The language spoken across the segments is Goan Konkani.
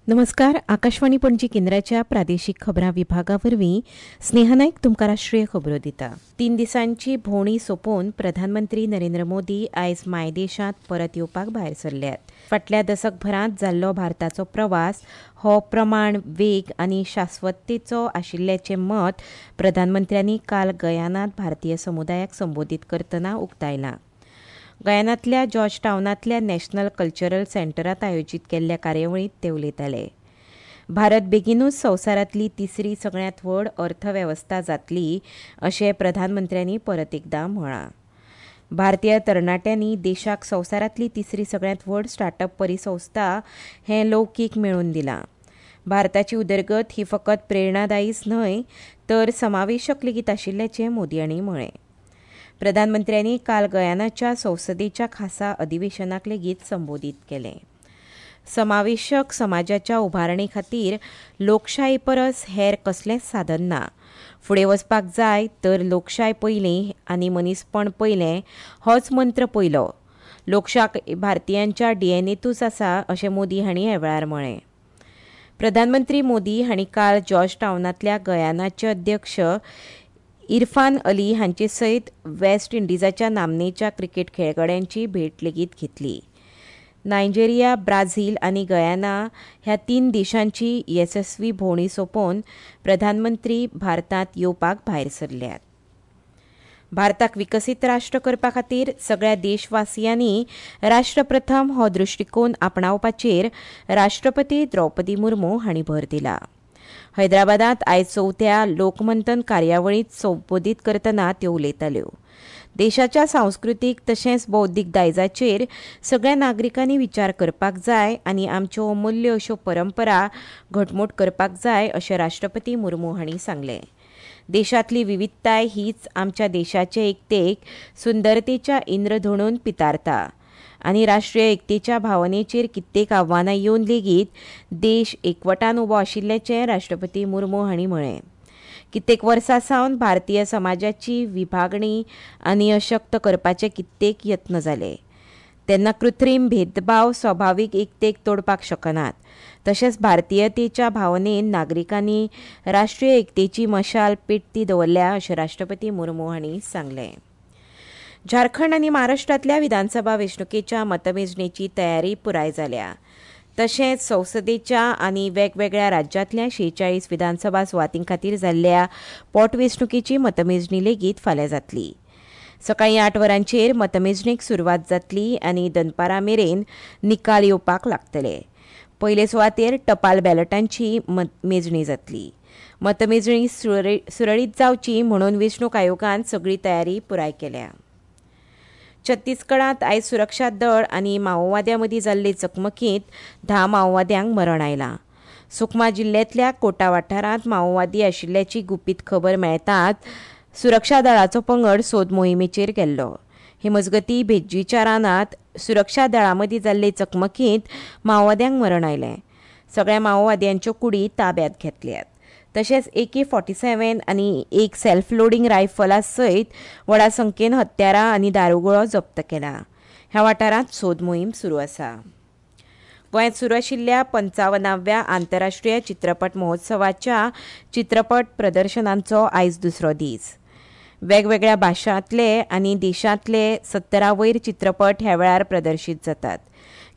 नमस्कार. आकाशवाणी पणजी केंद्राच्या प्रादेशीक खबरां विभागा वरवीं स्नेहा नायक तुमकां राष्ट्रीय खबरो दिता. 3 दिसांची भोंवडी सोंपोवन प्रधानमंत्री नरेंद्र मोदी आयज मायदेशांत परत येवपाक भायर सरल्यात. फाटल्या दसकभरांत जाल्लो भारताचो प्रवास हो प्रमाण, वेग आनी शाश्वततेचो आशिल्ल्याचें मत प्रधानमंत्र्यांनी काल गयानांत भारतीय समुदायाक संबोधीत करतना उक्तायलां. गयानांतल्या जॉर्ज टावनांतल्या नॅशनल कल्चरल सेंटरांत आयोजीत केल्ल्या कार्यावळींत ते उलयताले. भारत बेगीनूच संवसारांतली तिसरी सगळ्यांत व्हड अर्थवेवस्था जातली अशें प्रधानमंत्र्यांनी परत एकदां म्हळां. भारतीय तरणाट्यांनी देशाक संवसारांतली तिसरी सगळ्यांत व्हड स्टार्टअप परिसंस्था हें लौकीक मेळोवन दिलां. भारताची उदरगत ही फकत प्रेरणादायीच न्हय तर समावेशक लेगीत आशिल्ल्याचें मोदी हांणी म्हळें. प्रधानमंत्र्यांनी काल गयानाच्या संसदेच्या खासा अधिवेशनाक लेगीत संबोधीत केलें. समावेशक समाजाच्या उभारणे खातीर लोकशाये परस हेर कसलेंच साधन ना. फुडें वचपाक जाय तर लोकशाय पयलीं आनी मनीसपण पयलें होच मंत्र पयलो. लोकशाय भारतीयांच्या डीएनएतूच आसा अशें मोदी हांणी ह्या वेळार म्हळें. प्रधानमंत्री मोदी हांणी काल जॉर्ज टावनांतल्या गयानाचे अध्यक्ष इरफान अली हांचे सयत वेस्ट इंडिजाच्या नामनेच्या क्रिकेट खेळगड्यांची भेट लेगीत घेतली. नायजेरिया, ब्राझील आनी गयाना ह्या 3 देशांची येसस्वी भोंवडी सोंपोवन प्रधानमंत्री भारतांत येवपाक भायर सरल्यात. भारताक विकसीत राष्ट्र करपा खातीर सगळ्या देशवासियांनी राष्ट्रप्रथम हो दृश्टीकोन आपणावपाचेर राष्ट्रपती द्रौपदी मुर्मू हांणी भर दिला. हैदराबादांत आयज 4थ्या लोकमंथन कार्यावळींत संबोधीत करतना त्यो उलयताल्यो. देशाच्या सांस्कृतीक तशेंच बौद्धीक दायजाचेर सगळ्या नागरिकांनी विचार करपाक जाय आनी आमच्यो अमूल्य अश्यो परंपरा घटमूट करपाक जाय अशें राष्ट्रपती मुर्मू हांणी सांगलें. देशांतली विविधताय हीच आमच्या देशाचे एकतेक सुंदरतेच्या इंद्रधोणून पितारता आनी राष्ट्रीय एकतेच्या भावनेचेर कित्येक आव्हानां येवन लेगीत देश एकवटान उबो आशिल्ल्याचें राष्ट्रपती मुर्मू हांणी म्हळें. कित्येक वर्सां सावन भारतीय समाजाची विभागणी आनी अशक्त करपाचे कित्येक यत्न जाले तेन्ना कृत्रीम भेदभाव स्वाभावीक एकतेक तोडपाक शकनात. तशेंच भारतीयतेच्या भावनेन नागरिकांनी राष्ट्रीय एकतेची मशाल पेटती दवरल्या अशें राष्ट्रपती मुर्मू हांणी सांगलें. झारखंड आनी महाराष्ट्रांतल्या विधानसभा वेंचणुकेच्या मतमेजणेची तयारी पुराय जाल्या. तशेंच संसदेच्या आनी वेगवेगळ्या राज्यांतल्या 46 विधानसभा सुवातीं खातीर जाल्ल्या पोटवेंचणुकेची मतमेजणी लेगीत फाल्यां जातली. सकाळीं 8 वरांचेर मतमेजणेक सुरवात जातली आनी दनपारां मेरेन निकाल येवपाक लागतले. पयले सुवातेर टपाल बॅलटांची मेजणी जातली. मतमेजणी सुरळीत जावची म्हणून वेंचणूक आयोगान सगळी तयारी पुराय केल्या. छत्तीसगडांत आयज सुरक्षा दळ आनी माओवाद्यां मदीं जाल्ले चकमकींत 10 माओवाद्यांक मरण आयलां. सुकमा जिल्ल्यांतल्या कोटा वाठारांत माओवादी आशिल्ल्याची गुपीत खबर मेळटाच सुरक्षा दळाचो पंगड सोद मोहिमेचेर गेल्लो. हे मजगतीं भेज्जीच्या रानांत सुरक्षा दळां मदीं जाल्ले चकमकींत माओवाद्यांक मरण आयलें. सगळ्या माओवाद्यांच्यो कुडी ताब्यांत घेतल्यात. तशेंच AK-47 आनी एक सेल्फ लोडींग रायफला सयत व्हडा संख्येन हत्यारां आनी दारुगुळो जप्त केला. ह्या वाठारांत सोद मोहीम सुरू आसा. गोंयांत सुरू आशिल्ल्या 55व्या आंतरराष्ट्रीय चित्रपट महोत्सवाच्या चित्रपट प्रदर्शनांचो आयज दुसरो दीस. वेगवेगळ्या भाशांतले आनी देशांतले 70 वयर चित्रपट ह्या वेळार प्रदर्शीत जातात.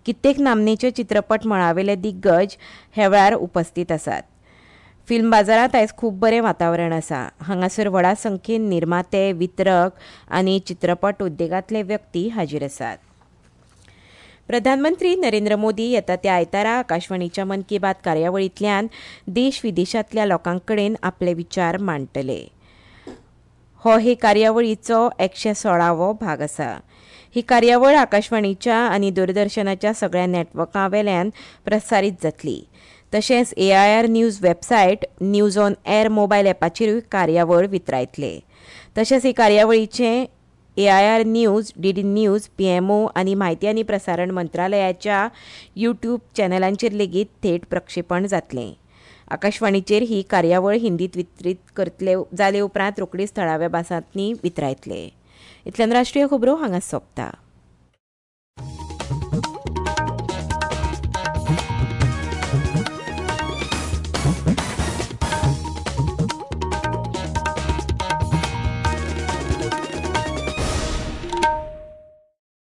कित्येक नामनेचे चित्रपट मळावेले दिग्गज ह्या वेळार उपस्थित आसात. फिल्म बाजारांत आयज खूब बरें वातावरण आसा. हांगासर व्हडा संख्येन निर्माते, वितरक आनी चित्रपट उद्देगांतले व्यक्ती हाजीर आसात. प्रधानमंत्री नरेंद्र मोदी येता त्या आयतारा आकाशवाणीच्या मन की बात कार्यावळींतल्यान देश विदेशांतल्या लोकां कडेन आपले विचार मांडटले. हो हे कार्यावळीचो 116वो भाग आसा. ही कार्यावळ आकाशवाणीच्या आनी दूरदर्शनाच्या सगळ्या नॅटवर्कां वेल्यान प्रसारीत जातली. तशेंच AIR news website, news on air mobile ॲपाचेरूय कार्यावळ वितरायतले. तशेंच ही कार्यावळीचें AIR news, DD news, PMO आनी म्हायती आनी प्रसारण मंत्रालयाच्या यूट्यूब चॅनलांचेर लेगीत थेट प्रक्षेपण जातलें. आकाशवाणीचेर ही कार्यावळ हिंदीत वितरीत करतले जाले उपरांत रोखडीच थळाव्या भासांनी वितरायतले. इतल्यान राष्ट्रीय खबरो हांगा सोंपता.